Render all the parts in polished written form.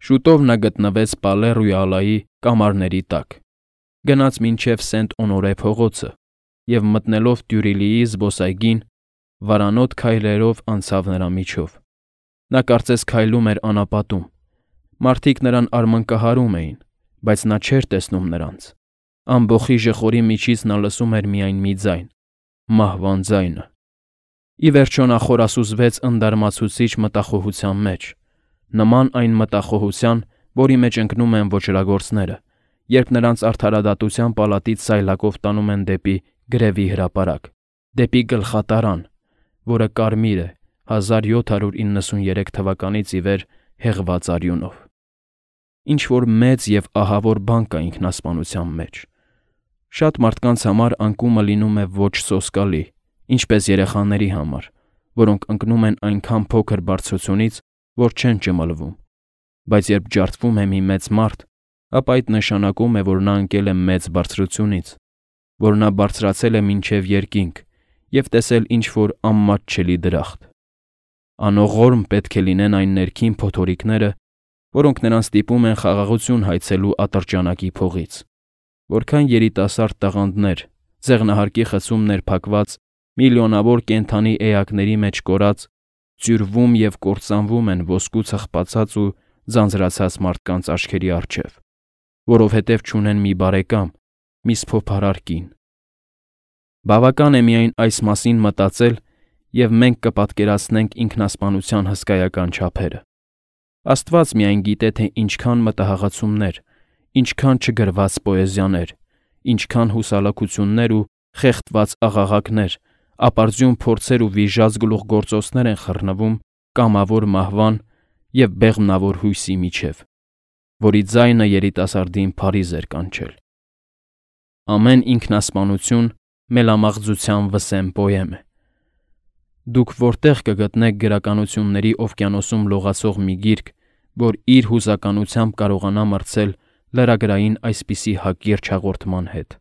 Շուտով նա գտնվեց Պալե-Ռոյալայի կամարների տակ, գնաց մինչև Սենտ-Օնորե փողոցը և մտնելով Տյուրիլիի զբոսայգին, վարանոտ քայլերով անցավ նրա միջով։ Նա կարծես քայլում էր անապատում։ Մարդիկ նրան արմնկահարում էին, բայց նա չէր տեսնում նրանց։ Ամբոխի ժխորի միջից նա լսում էր միայն մի ձայն՝ մահվան ձայնը։ Ի վերջո նա խորասուզվեց ընդարմացուցիչ մտախոհության մեջ, նման այն մտախոհության, որի մեջ ընկնում են ոճրագործները, երբ նրանց արդարադատության պալատից սայլակով տանում են դեպի գրևի հրապարակ, դեպի գլխատարան, որը կարմիր է 1793 թվականից ի վեր հեղված արյունով։ Ինչ-որ մեծ և ահավոր բան կա ինքնասպանության մեջ։ Շատ մարդկանց համար անկումը լինում է ոչ սոսկալի, ինչպես երեխաների համար, որոնք ընկնում են այնքան փոքր բարձրությունից, որ չեն ճմլվում, բայց երբ ջարդվում է մի մեծ մարդ, ապա այդ նշանակում է, որ նա ընկել է մեծ բարձրությունից, որ նա բարձրացել է մինչև երկինք և տեսել ինչ-որ անմատչելի դրախտ։ Անողորմ պետք է լինեն այն ներքին փոթորիկները, որոնք նրան ստիպում են խաղաղություն հայցելու ատրճանակի փողից, որքան երիտասարդ տաղանդներ, ձեղնահարկի խցում ներփակված, միլիոնավոր կենդանի էակների մեջ կորած, ձյուրվում և կործանվում են ոսկու ծխպացած ու ձանձրացած մարդկանց աչքերի առջև, որովհետև չունեն մի բարեկամ, մի սփոփարար կին։ Բավական է միայն այս մասին մտածել, և մենք կպատկերացնենք ինքնասպանության հսկայական չափերը։ Աստված միայն գիտե, թե ինչքան մտահղացումներ, ինչքան չգրված պոեզիաներ, ինչքան հուսալքություններ ու խեղդված աղաղակներ, ապարդյուն փորձեր ու վիժած գլուխգործոցներ են խռնվում կամավոր մահվան և բեղմնավոր հույսի միջև, որի ձայնը երիտասարդին փարիզ էր կանչել։ Ամեն ինքնասպանություն մելամաղձության վսեմ պոեմ է։ Դուք որտեղ կգտնեք գրականությունների օվկիանոսում լողացող մի գիրք, որ իր հուզականությամբ կարողանա մրցել լրագրային այսպիսի հակիրճ հաղորդման հետ։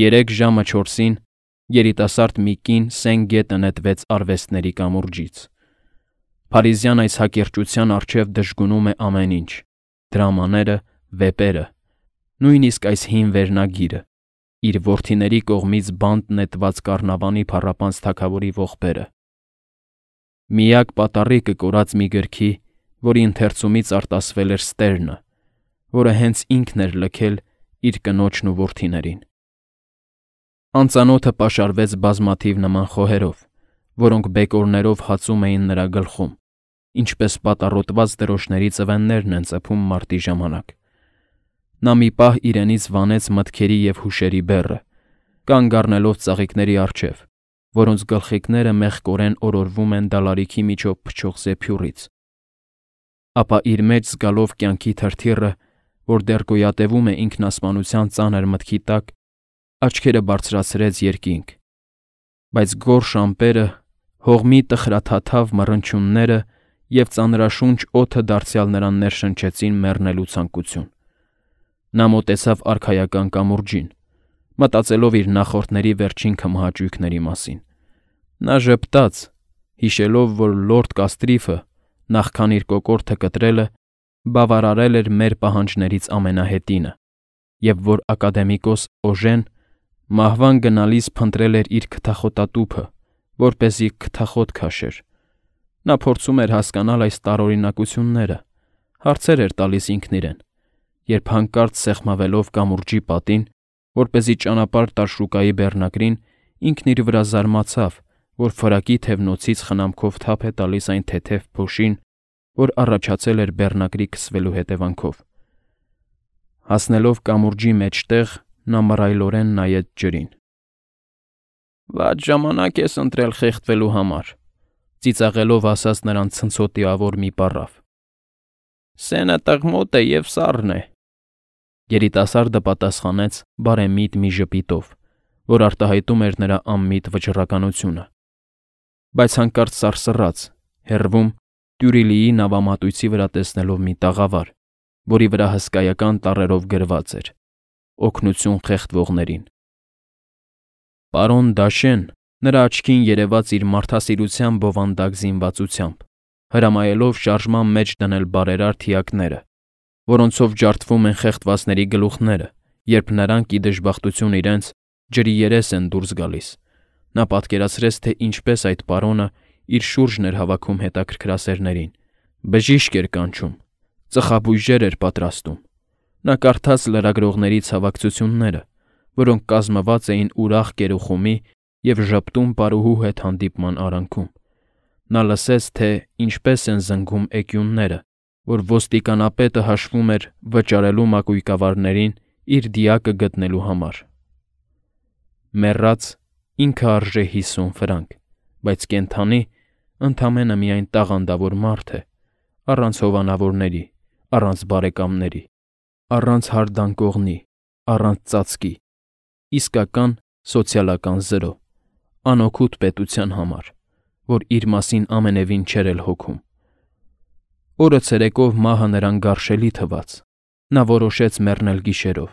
3 ժամը 4-ին երիտասարդ մի կին սեն գետը նետվեց արվեստների կամուրջից։ Փարիզյան այս հակիրճության առջև դժգունում է ամեն ինչ՝ դրամաները, վեպերը, նույնիսկ այս հին վերնագիրը, իր որդիների կողմից բանտ նետված կառնավանի փառապանծ թագավորի ողբերը։ Միակ պատառիկը կորած մի գրքի, որի ընթերցումից արտասվել էր ստերնը, որը հենց ինքն էր լքել իր կնոջն ու որդիներին։ Անծանոթը պաշարվեց բազմաթիվ նման խոհերով, որոնք բեկորներով հացում էին նրա գլխում, ինչպես պատառոտված դրոշների ծվեններն են ծփում մարտի ժամանակ։ Նա մի պահ իրենից վանեց մտքերի և հուշերի բեռը, կանգ առնելով ծաղիկների առջև, որոնց գլխիկները մեղկորեն օրորվում են դալարիքի միջով փչող զեփյուռից։ Ապա իր մեջ զգալով կյանքի թրթիռը, որ դեռ գոյատևում է ինքնասպանության ծանր մտքի տակ, աչքերը բարձրացրեց երկինք, բայց գորշ ամպերը, հողմի տխրաթաթավ մռնչյունները և ծանրաշունչ օդը դարձյալ նրան ներշնչեցին մեռնելու ցանկություն։ Նա մոտեցավ արքայական կամուրջին, մտածելով իր նախորդների վերջին քմահաճույքների մասին։ Նա ժպտաց, հիշելով, որ լորդ Կաստրիֆը, նախքան իր կոկորդը կտրելը, բավարարել էր մեր պահանջներից ամենահետինը, և որ ակադեմիկոս Օժեն մահվան գնալիս փնտրել էր իր քթախոտատուփը, որպեսզի քթախոտ քաշեր։ Նա փորձում էր հասկանալ այս տարօրինակությունները, հարցեր էր տալիս ինքն իրեն, երբ հանկարծ սեղմավելով կամուրջի պատին, որպեսզի ճանապարհ տար շուկայի բեռնակրին, ինքն իր վրա զարմացավ, որ ֆրակի թևնոցից խնամքով թափ է տալիս այն թեթև փոշին, որ առաջացել էր բեռնակրի քսվելու հետևանքով։ Հասնելով կամուրջի մեջտեղ, նա մռայլորեն նայեց ջրին։ «Վատ ժամանակ ես ընտրել խեղդվելու համար», ծիծաղելով ասաց նրան ցնցոտիավոր մի պառավ։ «Սենը տղմոտ է և սառն է», երիտասարդը պատասխանեց բարեմիտ մի ժպիտով, որ արտահայտում էր նրա անմիտ վճռականությունը, բայց հանկարծ սարսռաց, հեռվում Տյուրիլիի նավամատույցի վրա տեսնելով մի տաղավար, որի վրա հսկայական տառերով գրված էր. «Օգնություն խեղդվողներին»։ Պարոն Դաշեն, նրա աչքին երևաց իր մարդասիրության բովանդակ զինվածությամբ, հրամայելով շարժման մեջ դնել բարերար թիակները, որոնցով ջարդվում են խեղդվածների գլուխները, երբ նրանք ի դժբախտություն իրենց ջրի երես են դուրս գալիս։ Նա պատկերացրեց, թե ինչպես այդ պարոնը իր շուրջն էր հավաքում հետաքրքրասերներին, բժիշկ էր կանչում, ծխաբույժեր էր պատրաստում։ Նա կարդաց լրագրողների ցավակցությունները, որոնք կազմված էին ուրախ կերուխումի և ժպտուն պարուհու հետ հանդիպման արանքում։ Նա լսեց, թե ինչպես են զնգում էկյունները, որ ոստիկանապետը հաշվում էր վճարելու մակույկավարներին իր դիակը գտնելու համար։ Մեռած ինքը արժե 50 ֆրանկ, բայց կենդանի ընդամենը միայն տաղանդավոր մարդ է, առանց հովանավորների, առանց բարեկամների, առանց հարդանկողնի, առանց ծածկի, իսկական սոցիալական զրո, անօգուտ պետության համար, որ իր մասին ամենևին չէր էլ հոգում։ Օրը ցերեկով մահը նրան գարշելի թվաց։ Նա որոշեց մեռնել գիշերով,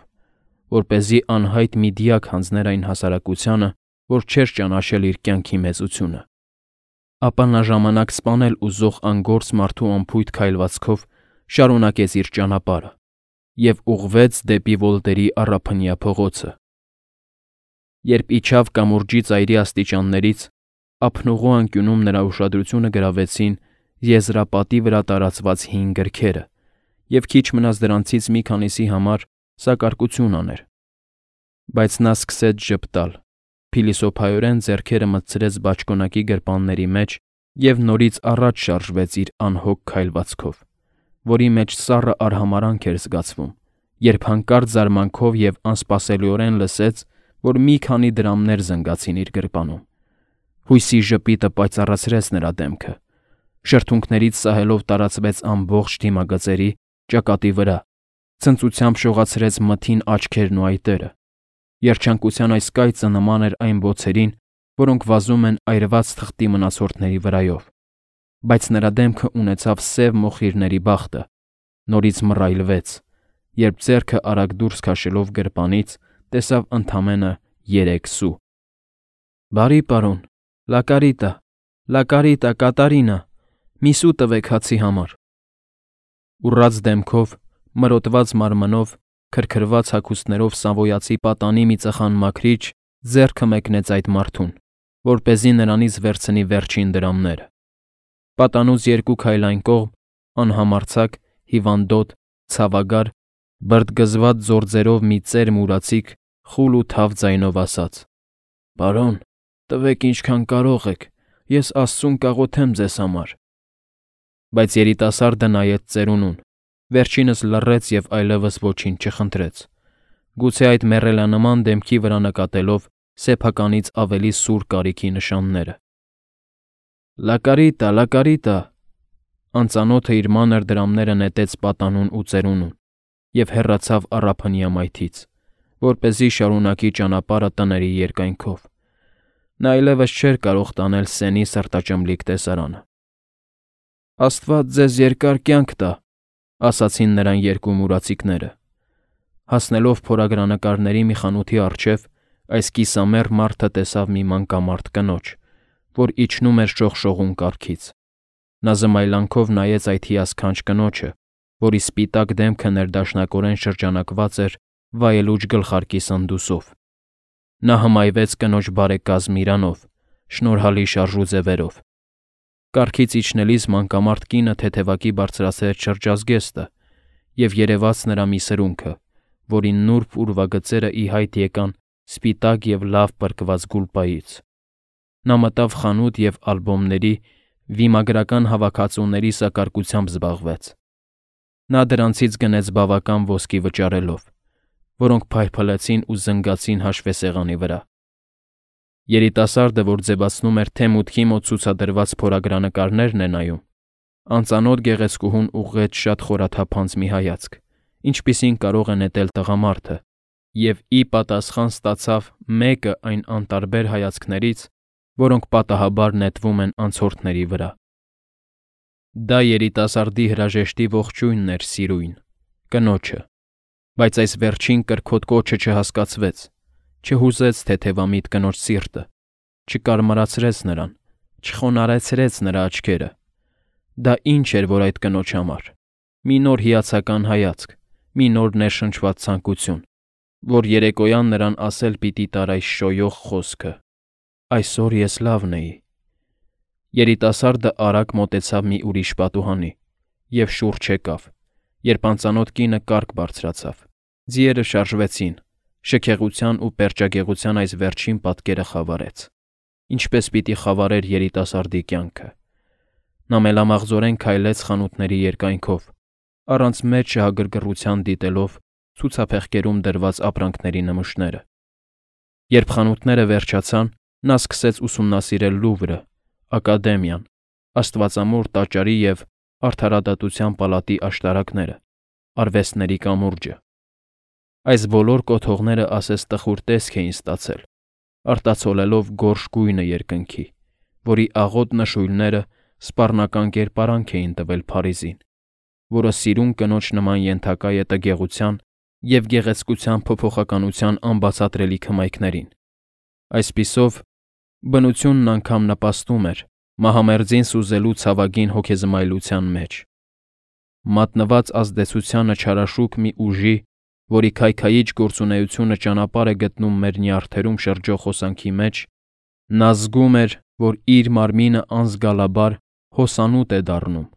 որպեսզի անհայտ մի դիակ հանձներ այն հասարակությանը, որ չէր ճանաչել իր կյանքի մեծությունը։ Ապա նա ժամանակ սպանել ուզող անգործ մարդու անփույթ քայլվածքով շարունակեց իր ճանապարհը և ուղղվեց դեպի Վոլտերի առափնյա փողոցը։ Երբ իջավ կամուրջի ծայրի աստիճաններից, ափնուղու անկյունում նրա ուշադրությունը գրավեցին եզրապատի վրա տարածված հին գրքերը, և քիչ մնաց դրանցից մի քանիսի համար սակարկություն աներ։ Բայց նա սկսեց ժպտալ, փիլիսոփայորեն ձեռքերը մտցրեց բաճկոնակի գրպանների մեջ և նորից առաջ շարժվեց իր անհոգ քայլվածքով, որի մեջ սառը արհամարհանք էր զգացվում, երբ հանկարծ զարմանքով և անսպասելիորեն լսեց, որ մի քանի դրամներ զնգացին իր գրպանում։ Հույսի ժպիտը պայծառացրեց նրա դեմքը, շրթունքներից սահելով տարածվեց ամբողջ դիմագծերի ճակատի վրա, ցնծությամբ շողացրեց մթին աչքերն ու այտերը։ Երջանկության այս կայծը նման էր այն բոցերին, որոնք վազում են այրված թղթի մնացորդների վրայով, բայց նրա դեմքը ունեցավ սև մոխիրների բախտը, նորից մռայլվեց, երբ ձեռքը արագ դուրս քաշելով գրպանից տեսավ ընդամենը 3 սու։ «Բարի պարոն, լա կարիտա, Կատարինա, մի սու տվեք հացի համար»։ Ուռած դեմքով, մրոտված մարմնով, քրքրված հագուստներով Սավոյացի պատանի մի ծխան մաքրիչ ձեռքը մեկնեց այդ մարդուն, որպեսզի նրանից վերցնի վերջին դրամները։ Պատանուց 2 քայլ այն կողմ, անհամարձակ, հիվանդոտ, ցավագար, բրդգզված ձորձերով մի ծեր մուրացիկ խուլ ու թավ ձայնով ասաց. «Պարոն, տվեք ինչքան կարող եք, ես Աստծուն կաղոթեմ ձեզ համար»։ Բայց երիտասարդը նայեց ծերունուն, վերջինս լռեց և այլևս ոչինչ չխնդրեց, գուցե այդ մեռելանման դեմքի վրա նկատելով սեփականից ավելի սուր կարիքի նշանները։ «Լա կարիտա»։ Անծանոթը իր մանր դրամները նետեց պատանուն ու ծերունուն և հեռացավ առափնյա մայթից, որպեսզի շարունակի ճանապարհը տների երկայնքով։ Նա այլևս չէր կարող տանել Սենի սրտաճմլիկ տեսարանը։ «Աստված ձեզ երկար կյանք տա», ասացին նրան 2 մուրացիկները։ Հասնելով փորագրանկարների մի խանութի առջև, այս կիսամեռ մարդը տեսավ մի մանկամարդ կնոջ, որ իջնում էր շողշողուն կառքից։ Նա զմայլանքով նայեց այդ հիասքանչ կնոջը, որի սպիտակ դեմքը ներդաշնակորեն շրջանակված էր վայելուչ գլխարկի սնդուսով։ Նա հմայվեց կնոջ բարեկազմ իրանով, շնորհալի շարժուձևերով։ Կառքից իջնելիս մանկամարդ կինը թեթևակի բարձրացրեց շրջազգեստը և երևաց նրա մի սրունքը, որի նուրբ ուրվագծերը ի հայտ եկան սպիտակ և լավ պրկված գուլպայից։ Նա մտավ խանութ և ալբոմների, վիմագրական հավաքածուների սակարկությամբ զբաղվեց։ Նա դրանցից գնեց բավական ոսկի վճարելով, որոնք փայլփլեցին ու զնգացին հաշվեսեղանի վրա։ Երիտասարդը, որ ձևացնում էր, թե մուտքի մոտ ցուցադրված փորագրանկարներն է նայում, անծանոթ գեղեցկուհուն ուղղեց շատ խորաթափանց մի հայացք, ինչպիսին կարող է նետել տղամարդը, և ի պատասխան ստացավ մեկը այն անտարբեր հայացքներից, որոնք պատահաբար նետվում են անցորդների վրա։ Դա երիտասարդի հրաժեշտի ողջույնն էր սիրույն, կնոջը, բայց այս վերջին կրքոտ կոչը չհասկացվեց, չհուզեց թեթևամիտ կնոջ սիրտը, չկարմարացրեց նրան, չխոնարհեցրեց նրա աչքերը։ Դա ինչ էր, որ այդ կնոջ համար։ Մի նոր հիացական հայացք, մի նոր ներշնչված ցանկություն, որ երեկոյան նրան ասել պիտի տար այս շոյող խոսքը. «Այսօր ես լավն էի»։ Երիտասարդը արագ մոտեցավ մի ուրիշ պատուհանի և շուրջ եկավ, երբ անծանոթ կինը կառք բարձրացավ։ Ձիերը շարժվեցին, շքեղության ու պերճագեղության այս վերջին պատկերը խավարեց, ինչպես պիտի խավարեր երիտասարդի կյանքը։ Նա մելամաղձորեն քայլեց խանութների երկայնքով, առանց մեծ շահագրգռության դիտելով ցուցափեղկերում դրված ապրանքների նմուշները։ Երբ խանութները վերջացան, նա սկսեց ուսումնասիրել Լուվրը, Ակադեմիան, Աստվածամոր տաճարի և Արդարադատության պալատի աշտարակները, արվեստների կամուրջը։ Այս բոլոր կոթողները ասես տխուր տեսք էին ստացել, արտացոլելով գորշ գույնը երկնքի, որի աղոտ նշույլները սպառնական կերպարանք էին տվել Փարիզին, որը սիրուն կնոջ նման ենթակա է տգեղության և գեղեցկության փոփոխականության անբացատրելի քմայքներին։ Այսպիսով, բնությունն անգամ նպաստում էր մահամերձին սուզելու ցավագին հոգեզմայլության մեջ։ Մատնված ազդեցությանը չարաշուք մի ուժի, որի քայքայիչ գործունեությունը ճանապարհ է գտնում մեր նյարդերում շրջող հոսանքի մեջ, նա զգում էր, որ իր մարմինը անզգալաբար հոսանոտ է դառնում։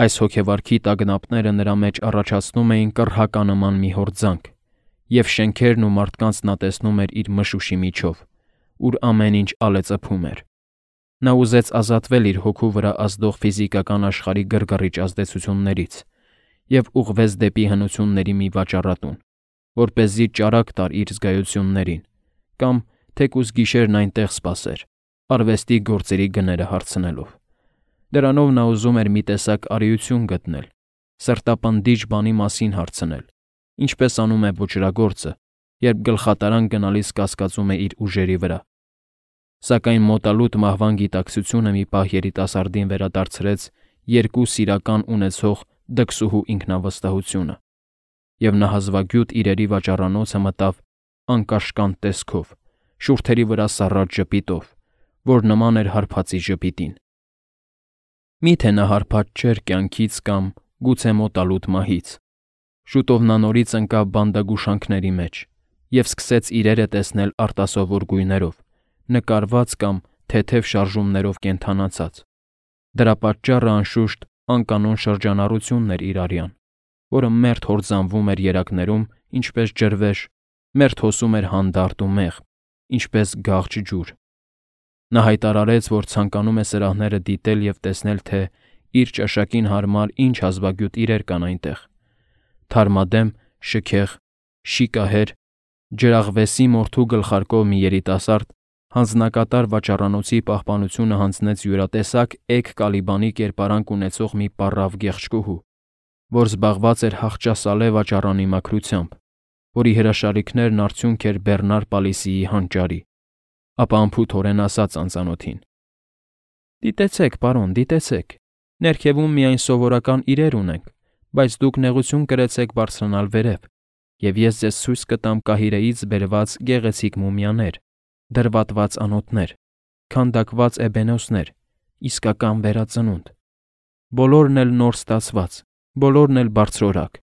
Այս հոգեվարքի տագնապները նրա մեջ առաջացնում էին կռհականման մի հորձանք, և շենքերն ու մարդկանց նա տեսնում էր իր մշուշի միջով, ուր ամեն ինչ ալեծփում էր։ Նա ուզեց ազատվել իր հոգու վրա ազդող ֆիզիկական աշխարհի գրգռիչ ազդեցություններից և ուղղվեց դեպի հնությունների մի վաճառատուն, որպեսզի ճարակ տար իր զգայություններին, կամ թեկուզ գիշերն այնտեղ սպասեր, արվեստի գործերի գները հարցնելով։ Դրանով նա ուզում էր մի տեսակ արիություն գտնել, սրտապնդիչ բանի մասին հարցնել, ինչպես անում է ոճրագործը, երբ գլխատարան գնալիս կասկածում է իր ուժերի վրա։ Սակայն մոտալուտ մահվան գիտակցությունը մի պահ երիտասարդին վերադարձրեց երկու սիրական ունեցող դքսուհու ինքնավստահությունը, և նա հազվագյուտ իրերի վաճառանոցը մտավ անկաշկանդ տեսքով, շուրթերի վրա սառած ժպիտով, որ նման էր հարբածի ժպիտին։ Միթե նա հարբած չէր կյանքից կամ գուցե մոտալուտ մահից։ Շուտով նա նորից ընկավ բանդագուշանքների մեջ և սկսեց իրերը տեսնել արտասովոր գույներով, նկարված կամ թեթև շարժումներով կենդանացած։ Դրա պատճառը, անշուշտ, անկանոն շրջանառությունն էր իր արյան, որը մերթ հորձանվում էր երակներում, ինչպես ջրվեժ, մերթ հոսում էր հանդարտ ու մեղմ, ինչպես գաղջ ջուր։ Նա հայտարարեց, որ ցանկանում է սրահները դիտել և տեսնել, թե իր ճաշակին հարմար ինչ հազվագյուտ իրեր կան այնտեղ։ Թարմադեմ, շքեղ, շիկահեր, ջրաղվեսի մորթու գլխարկով մի երիտասարդ հանձնակատար վաճառանոցի պահպանությունը հանձնեց յուրատեսակ էգ կալիբանի կերպարանք ունեցող մի պառավ գեղեցկուհու, որ զբաղված էր հախճասալե վաճառանի մաքրությամբ, որի հրաշալիքներն արդյունք էր Բեռնար Պալիսիի հանճարի, ապա անփութորեն ասաց անծանոթին. «Դիտեցեք, պարոն, դիտեցեք, ներքևում միայն սովորական իրեր ունենք, բայց դուք նեղություն կրեցեք բարձրանալ վերև, և ես ձեզ ցույց կտամ Կահիրեից բերված գեղեցիկ մումիաներ, դրվատված անոթներ, քանդակված էբենոսներ, իսկական վերածնունդ։ Բոլորն էլ նոր ստացված, բոլորն էլ բարձրորակ»։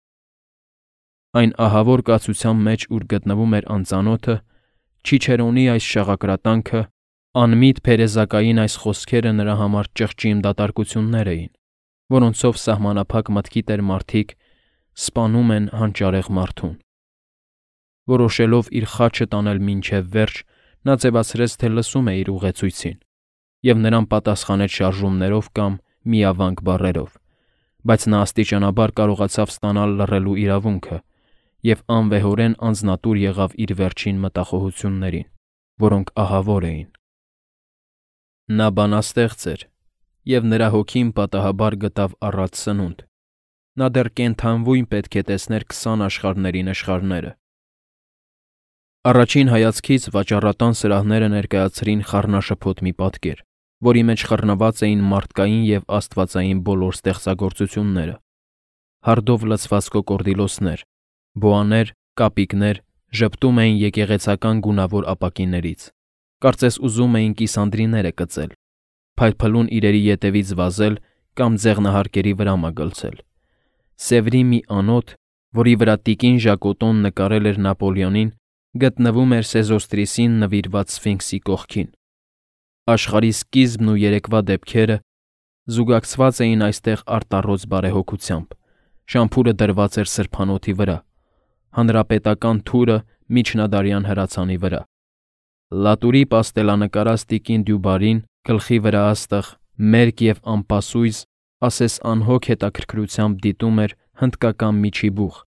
Այն ահավոր կացության մեջ, ուր գտնվում էր անծանոթը, Չիչերոնի այս շաղակրատանքը, անմիտ փերեզակային այս խոսքերը նրա համար ճղճիմ դատարկություններ էին, որոնցով սահմանափակ մտքի տեր մարդիկ սպանում են հանճարեղ մարդուն։ Որոշելով իր խաչը տանել մինչև վերջ, նա ձևացրեց, թե լսում է իր ուղեցույցին, և նրան պատասխանեց շարժումներով կամ միավանք բառերով, բայց նա աստիճանաբար կարողացավ ստանալ լռելու իրավունքը և անվեհորեն անձնատուր եղավ իր վերջին մտախոհություններին, որոնք ահավոր էին։ Նա բանաստեղծ էր, և նրա հոգին պատահաբար գտավ առատ սնունդ։ Նա դեռ կենդանվույն պետք է տեսներ 20 աշխարհների նշխարները։ Առաջին հայացքից վաճառատան սրահները ներկայացրին խառնաշփոթ մի պատկեր, որի մեջ խռնված էին մարդկային և աստվածային բոլոր ստեղծագործությունները։ Հարդով լցված կոկորդիլոսներ, բոաներ, կապիկներ ժպտում էին եկեղեցական գունավոր ապակիներից, կարծես ուզում էին կիսանդրիները կծել, փայլփլուն իրերի ետևից վազել, կամ ձեղնահարկերի վրա մագլցել։ Սևրի մի անոթ, որի վրա տիկին Ժակոտոն նկարել էր Նապոլեոնին, գտնվում էր Սեզոստրիսին նվիրված Սֆինքսի կողքին։ Աշխարհի սկիզբն ու երեկվա դեպքերը զուգակցված էին այստեղ արտառոց բարեհոգությամբ, շամփուրը դրված էր սրբանոթի վրա, հանրապետական թուրը միջնադարյան հրացանի վրա։ Լատուրի պաստելանկարած տիկին Դյուբարին գլխի վրա աստղ, մերկ և անպասույզ, ասես անհոգ հետաքրքրությամբ դիտում էր հնդկական միջի բուխ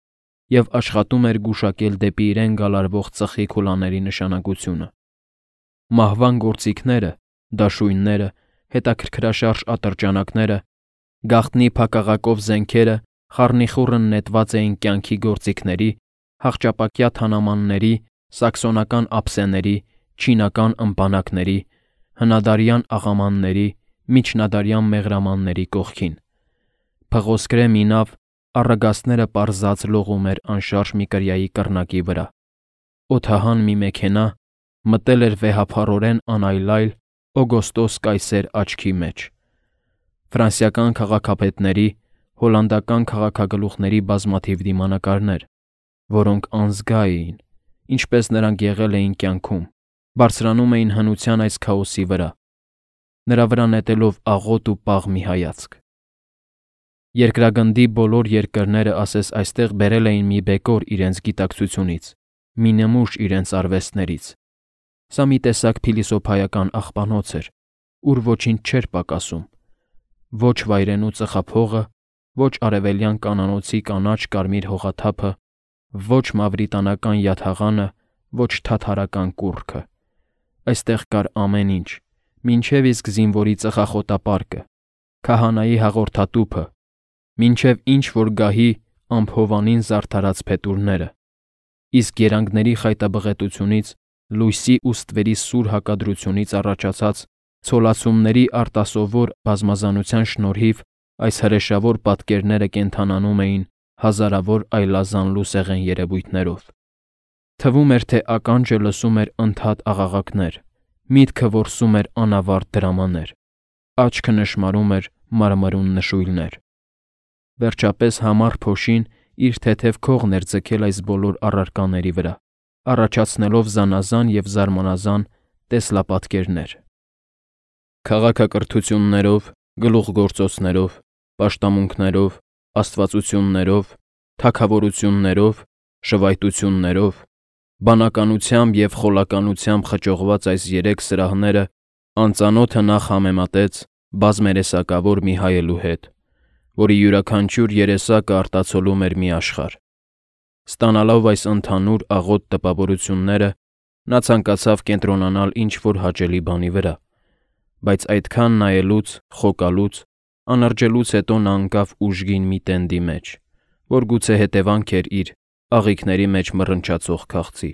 և աշխատում էր գուշակել դեպի իրեն գալարվող ծխի քուլաների նշանակությունը։ Մահվան գործիքները, դաշույնները, հետաքրքրաշարժ ատրճանակները, գաղտնի փակաղակով զենքերը խառնիխուռն նետված էին կյանքի գործիքների, հախճապակյա թանամանների, սաքսոնական ափսեների, չինական ըմպանակների, հնադարյան աղամանների, միջնադարյան մեղրամանների կողքին։ Փղոսկրե մի նավ առագաստները պարզած լողում էր անշարժ մի կրիայի կռնակի վրա։ Օդահան մի մեքենա մտել էր վեհափառորեն անայլայլ Օգոստոս կայսեր աչքի մեջ։ Ֆրանսիական քաղաքապետների, հոլանդական քաղաքագլուխների բազմաթիվ դիմանկարներ, որոնք անզգա էին, ինչպես նրանք եղել էին կյանքում, բարձրանում էին հնության այս քաոսի վրա, նրա վրա նետելով աղոտ ու պաղ մի հայացք։ Երկրագնդի բոլոր երկրները ասես այստեղ բերել էին մի բեկոր իրենց գիտակցությունից, մի նմուշ իրենց արվեստներից։ Սա մի տեսակ փիլիսոփայական աղբանոց էր, ուր ոչինչ չէր պակասում։ Ոչ վայրենու ծխափողը, ոչ արևելյան կանանոցի կանաչ կարմիր հողաթափը, ոչ մավրիտանական յաթաղանը, ոչ թաթարական կուռքը։ Այստեղ կար ամեն ինչ, մինչև իսկ զինվորի ծխախոտապարկը, քահանայի հաղորդատուփը, մինչև ինչ-որ գահի ամփովանին զարդարած փետուրները, իսկ երանգների խայտաբղետությունից, լույսի ու ստվերի սուր հակադրությունից առաջացած ցոլացումների արտասովոր բազմազանության շնորհիվ այս հրեշավոր պատկերները կենդանանում էին հազարավոր այլազան լուսեղեն երևույթներով։ Թվում էր, թե ականջը լսում էր ընդհատ աղաղակներ, միտքը որսում էր անավարտ դրամաներ, աչքը նշմարում էր մարմրուն նշույլներ։ Վերջապես համառ փոշին իր թեթև քողն էր ձգել այս բոլոր առարկաների վրա, առաջացնելով զանազան և զարմանազան տեսլապատկերներ։ Քաղաքակրթություններով, գլուխգործոցներով, պաշտամունքներով, աստվածություններով, թագավորություններով, շվայտություններով, բանականությամբ և խոլականությամբ խճողված այս երեք սրահները անծանոթը նախ համեմատեց բազմերեսակավոր մի հայելու հետ, որի յուրաքանչյուր երեսակը արտացոլում էր մի աշխարհ։ Ստանալով այս ընդհանուր աղոտ տպավորությունները, նա ցանկացավ կենտրոնանալ ինչ-որ հաճելի բանի վրա, բայց այդքան նայելուց, խոկալուց, անրջելուց հետո նա ընկավ ուժգին մի տենդի մեջ, որ գուցե հետևանք էր իր աղիքների մեջ մռնչացող քաղցի։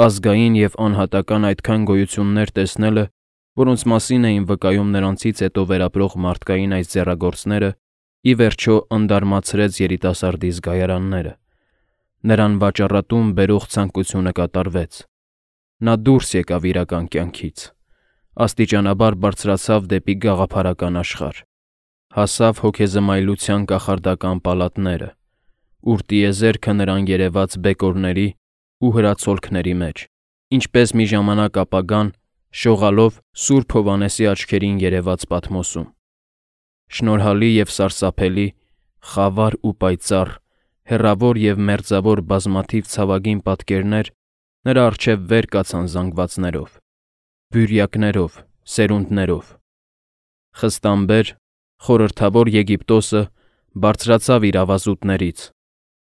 Ազգային և անհատական այդքան գոյություններ տեսնելը, որոնց մասին էին վկայում նրանցից հետո վերապրող մարդկային այս ձեռագործները, ի վերջո ընդարմացրեց երիտասարդի զգայարանները։ Նրան վաճառատում բերող ցանկությունը կատարվեց։ Նա դուրս եկավ իրական կյանքից, աստիճանաբար բարձրացավ դեպի գաղափարական աշխարհ, հասավ հոգեզմայլության կախարդական պալատները, ուր տիեզերքը նրան երևաց բեկորների ու հրացոլքների մեջ, ինչպես մի ժամանակ ապագան շողալով Սուրբ Հովհաննեսի աչքերին երևաց Պատմոսում։ Շնորհալի և սարսափելի, խավար ու պայծառ, հեռավոր և մերձավոր բազմաթիվ ցավագին պատկերներ նրա առջև վեր կացան զանգվածներով, բյուրյակներով, սերունդներով։ Խստամբեր, խորհրդավոր Եգիպտոսը բարձրացավ իր ավազուտներից,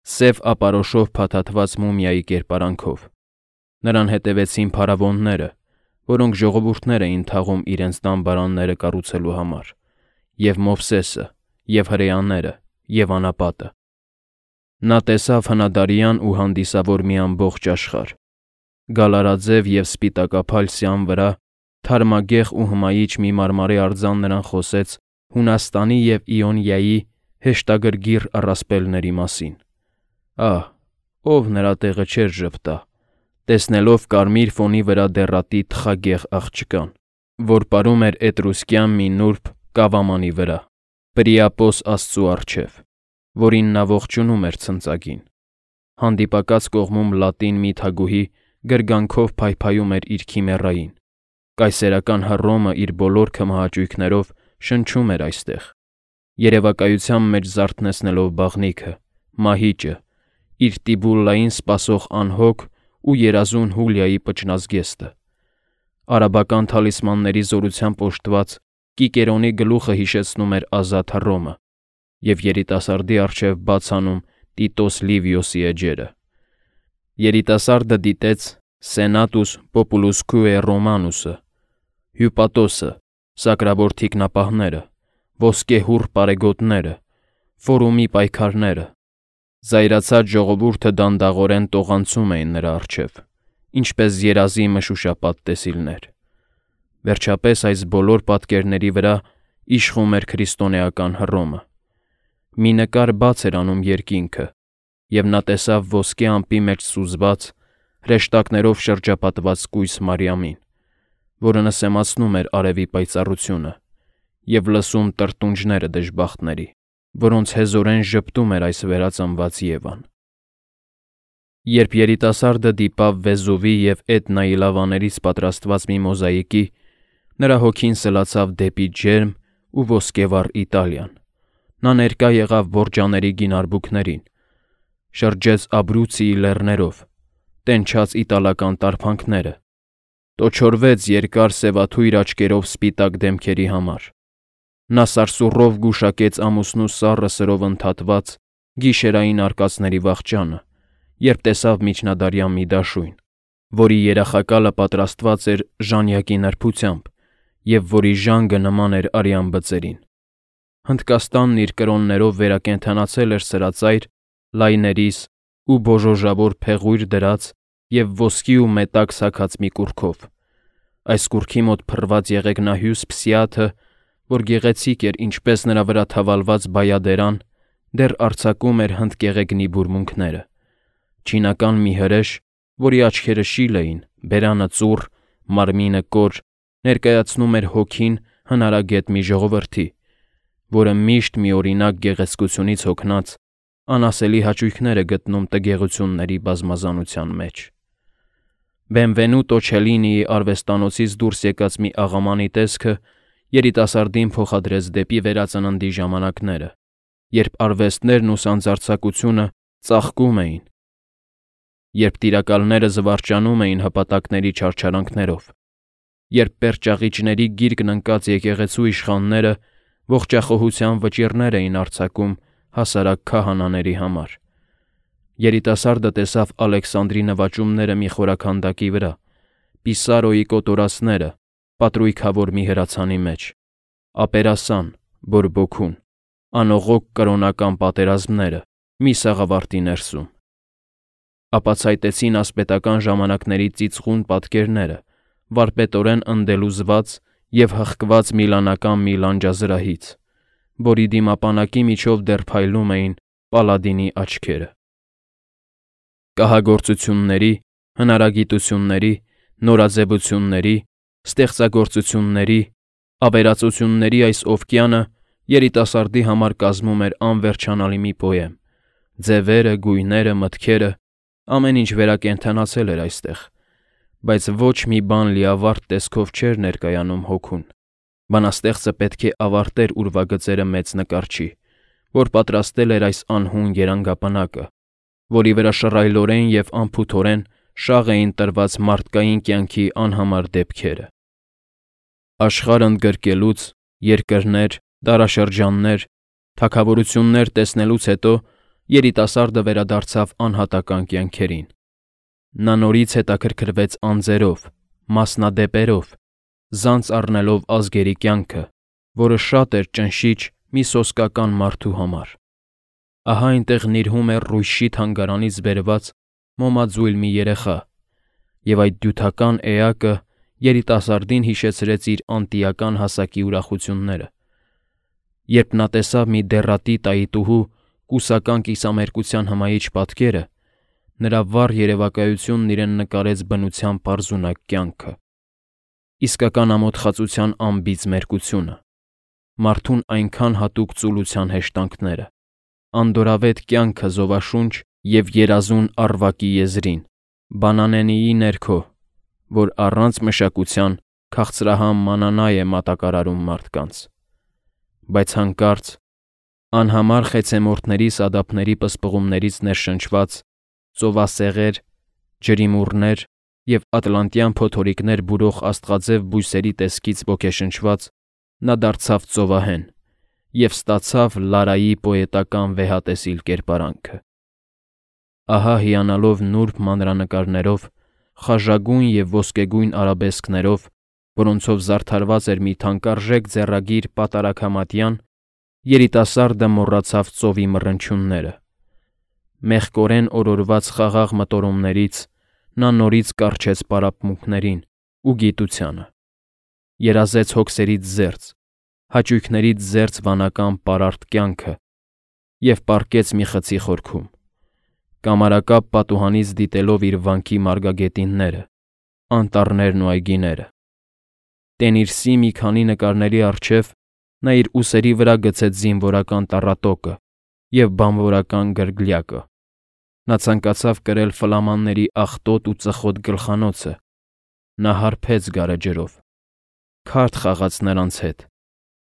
սև ապարոշով փաթաթված մումիայի կերպարանքով։ Նրան հետևեցին փարավոնները, որոնք ժողովուրդներ էին թաղում իրենց դամբարանները կառուցելու համար, և Մովսեսը, և հրեաները, և անապատը։ Նա տեսավ հնադարյան ու հանդիսավոր մի ամբողջ աշխարհ։ Գալարաձև և սպիտակափայլ սյան վրա, թարմագեղ ու հմայիչ մի մարմարի արձան նրան խոսեց Հունաստանի և Իոնիայի հեշտագրգիռ առասպելների մասին։ Ահ, ով նրա տեղը չէր ժպտա, տեսնելով կարմիր ֆոնի վրա դեռատի թխագեղ աղջկան, որ պարում էր էտրուսկյան մի նուրբ կավամանի վրա։ Պրիապոս Աստծու առջև, որին նա ողջունում էր ցնծագին։ Հանդիպակաց կողմում լատին մի թագուհի գրգանքով փայփայում էր իր քիմերային։ Կայսերական Հռոմը իր բոլոր քմահաճույքներով շնչում էր այստեղ, երևակայության մեջ զարթնեցնելով բաղնիքը, մահիճը, իր Տիբուլլային սպասող անհոգ ու երազուն Հուլիայի պճնազգեստը։ Արաբական թալիսմանների զորությամբ օժտված Կիկերոնի գլուխը հիշեցնում էր ազատ Հռոմը և երիտասարդի առջև բացանում Տիտոս Լիվիոսի էջերը։ Երիտասարդը դիտեց Սենատուս Պոպուլուսկուե Ռոմանուսը, Հյուպատոսը, սակրավոր թիկնապահները, ոսկեհուռ պարեգոտները, ֆորումի պայքարները։ Զայրացած ժողովուրդը դանդաղորեն տողանցում էին նրա առջև, ինչպես երազի մշուշապատ տեսիլներ։ Վերջապես այս բոլոր պատկերների վրա իշխում էր քրիստոնեական Հռոմը։ Մի նկար բաց էր անում երկինքը, և նա տեսավ ոսկե ամպի մեջ սուզված, հրեշտակներով շրջապատված կույս Մարիամին, որը նսեմացնում էր արևի պայծառությունը, և լսում տրտունջները դժբախտների, որոնց հեզորեն ժպտում էր այս վերածնված Եվան։ Երբ երիտասարդը դիպավ Վեզուվի և Էտնայի լավաներից պատրաստված մի մոզաիկի, նրա հոգին սլացավ դեպի ջերմ ու ոսկեվառ Իտալիան։ Նա ներկա եղավ Բորջաների գին արբուքներին, շրջեց Աբրուցիի լեռներով, տենչաց իտալական տարփանքները, տոչորվեց երկար սևաթույր աչքերով սպիտակ դեմքերի համար։ Նա սարսուռով գուշակեց ամուսնու սառը սրով ընդհատված գիշերային արկածների վախճանը, երբ տեսավ միջնադարյան մի դաշույն, որի երախակալը պատրաստված էր ժանյակի նրբությամբ և որի ժանգը նման էր արյան բծերին։ Հնդկաստանն իր կրոններով վերակենդանացել էր սրածայր, լայներիս ու բոժոժավոր փեղույր դրած և ոսկի ու մետակ սաքած մի կուռքով։ Այս կուռքի մոտ փռված եղեգնահյուս Փսիաթը, որ գեղեցիկ էր ինչպես նրա վրա թավալված բայադերան, դեռ արձակում էր հնդկեղեգնի բուրմունքները։ Չինական մի հրեշ, որի աչքերը շիլ էին, բերանը ծուռ, մարմինը կոր, ներկայացնում էր հոգին հնարագետ մի ժողովրդի, որը միշտ միօրինակ գեղեցկությունից հոգնած անասելի հաճույքներ է գտնում տգեղությունների բազմազանության մեջ։ Բենվենուտո Չելինիի արվեստանոցից դուրս եկած մի աղամանի տեսքը երիտասարդին փոխադրեց դեպի վերածննդի ժամանակները, երբ արվեստներն ու սանձարձակությունը ծաղկում էին, երբ տիրակալները զվարճանում էին հպատակների չարչարանքներով, երբ պերճաղիճների գիրկն ընկած եկեղեցու իշխանները ողջախոհության վճիռներ էին արձակում հասարակ քահանաների համար։ Երիտասարդը տեսավ Ալեքսանդրի նվաճումները մի խորաքանդակի վրա, Պիսարոյի կոտորածները պատրույքավոր մի հրացանի մեջ, Ապերասան, բորբոքուն, անողոք կրոնական պատերազմները մի սաղավարտի ներսում։ Ապացայտեցին ասպետական ժամանակների ծիծխուն պատկերները, վարպետորեն ընդելուզված և հղկված միլանական մի լանջազրահից, որի դիմապանակի միջով դեռ փայլում էին Պալադինի աչքերը։ Կահագործությունների, հնարագիտությունների, նորաձևությունների, ստեղծագործությունների, ավերածությունների այս օվկիանը երիտասարդի համար կազմում էր անվերջանալի մի պոեմ։ Ձևերը, գույները, մտքերը, ամեն ինչ վերակենդանացել էր այստեղ, բայց ոչ մի բան լիավարտ տեսքով չէր ներկայանում հոգուն։ Բանաստեղծը պետք է ավարտեր ուրվագծերը մեծ նկարչի, որ պատրաստել էր այս անհուն երանգապնակը, որի վրա շռայլորեն և անփութորեն շաղ էին տրված մարդկային կյանքի անհամար դեպքերը։ Աշխարհ ընդգրկելուց, երկրներ, դարաշրջաններ, թագավորություններ տեսնելուց հետո երիտասարդը վերադարձավ անհատական կյանքերին։ Նա նորից հետաքրքրվեց անձերով, մասնադեպերով, զանց առնելով ազգերի կյանքը, որը շատ էր ճնշիչ մի սոսկական մարդու համար։ Ահա այնտեղ նիրհում էր Ռույշի թանգարանից բերված մոմաձույլ մի երեխա, և այդ դյութական էակը երիտասարդին հիշեցրեց իր անտիական հասակի ուրախությունները։ Երբ նա տեսավ մի դեռատի տայիտուհու կուսական կիսամերկության հմայիչ պատկերը, նրա վառ երևակայությունն իրեն նկարեց բնության պարզունակ կյանքը, իսկական ամոթխածության անբիծ մերկությունը, մարդուն այնքան հատուկ ծուլության հեշտանքները, անդորավետ կյանքը զովաշունչ և երազուն առվակի եզրին, բանանենիի ներքո, որ առանց մշակության քաղցրահամ մանանա է մատակարարում մարդկանց, բայց հանկարծ, անհամար խեցեմորտների սադափների պսպղումներից ներշնչված, ծովասեղեր, ջրիմուռներ և ատլանտյան փոթորիկներ բուրող աստղաձև բույսերի տեսքից ոգեշնչված, նա դարձավ ծովահեն և ստացավ Լարայի պոետական վեհատեսիլ կերպարանքը։ Ահա հիանալով նուրբ մանրանկարներով, խաժագույն և ոսկեգույն արաբեսկներով, որոնցով զարդարված էր մի թանկարժեք ձեռագիր պատարագամատյան, երիտասարդը մոռացավ ծովի մռնչյունները։ Մեղկորեն օրորված խաղաղ մտորումներից նա նորից կառչեց պարապմունքներին ու գիտությանը, երազեց հոգսերից զերծ, հաճույքներից զերծ վանական պարարտ կյանքը և պառկեց մի խցի խորքում, կամարակապ պատուհանից դիտելով իր վանքի մարգագետինները, անտառներն ու այգիները։ Տենիրսի մի քանի նկարների առջև նա իր ուսերի վրա գցեց զինվորական տառատոկը և բանվորական գրգլյակը։ Նա ցանկացավ կրել ֆլամանների աղտոտ ու ծխոտ գլխանոցը։ Նա հարբեց գարեջրով, քարտ խաղաց նրանց հետ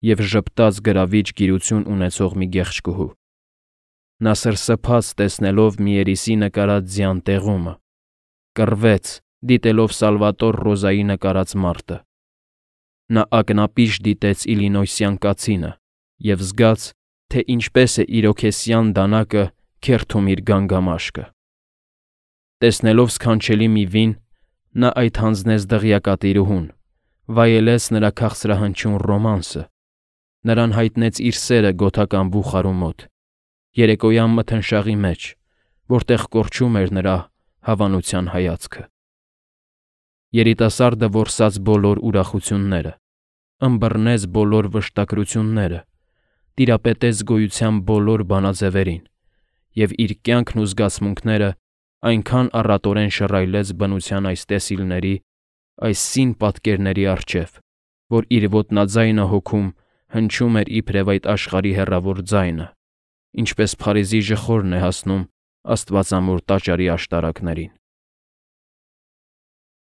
և ժպտաց գրավիչ գիրություն ունեցող մի գեղեցկուհու։ Նա սրսփաց տեսնելով մի երիսի նկարած ձյան տեղումը, կռվեց, դիտելով Սալվատոր Ռոզայի նկարած մարդը։ Նա ակնապիշ դիտեց իլինոյսյան կացինը և զգաց, թե ինչպես է իրոքեսյան դանակը քերթում իր գանգամաշկը։ Տեսնելով սքանչելի մի վին, նա այդ հանձնեց դղյակատիրուհուն, վայելեց նրա քաղցրահնչյուն ռոմանսը, նրան հայտնեց իր սերը գոթական բուխարու մոտ, երեկոյան մթնշաղի մեջ, որտեղ կորչում էր նրա հավանության հայացքը։ Երիտասարդը որսաց բոլոր ուրախությունները, ըմբռնեց բոլոր վշտակրությունները, տիրապետեց գոյության բոլոր բանաձևերին և իր կյանքն ու զգացմունքները այնքան առատորեն շռայլեց բնության այս տեսիլների, այս սին պատկերների առջև, որ իր ոտնաձայնը հոգում հնչում էր իբրև այդ աշխարհի հեռավոր ձայնը, ինչպես Փարիզի ժխորն է հասնում աստվածամոր տաճարի աշտարակներին։